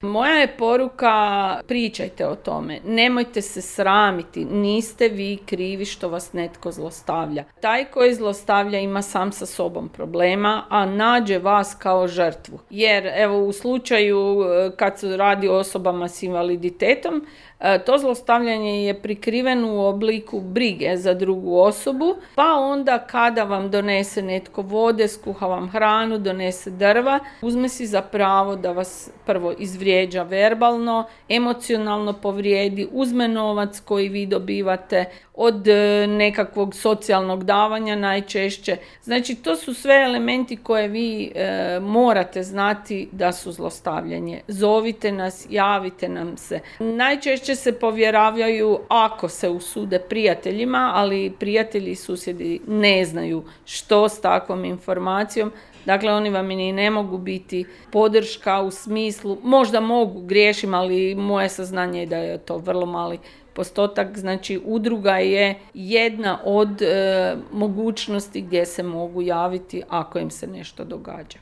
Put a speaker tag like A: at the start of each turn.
A: Moja je poruka, pričajte o tome, nemojte se sramiti, niste vi krivi što vas netko zlostavlja. Taj koji zlostavlja ima sam sa sobom problema, a nađe vas kao žrtvu. Jer evo u slučaju kad se radi o osobama s invaliditetom, to zlostavljanje je prikriveno u obliku brige za drugu osobu, pa onda kada vam donese netko vode, skuha vam hranu, donese drva, uzme si za pravo da vas prvo izvrijeđa verbalno, emocionalno povrijedi, uzme novac koji vi dobivate od nekakvog socijalnog davanja najčešće. Znači to su sve elementi koje vi morate znati da su zlostavljanje. Zovite nas, javite nam se. Najčešće se povjeravaju ako se usude prijateljima, ali prijatelji i susjedi ne znaju što s takvom informacijom. Dakle, oni vam i ne mogu biti podrška u smislu, možda mogu, griješim, ali moje saznanje je da je to vrlo mali postotak. Znači, udruga je jedna od mogućnosti gdje se mogu javiti ako im se nešto događa.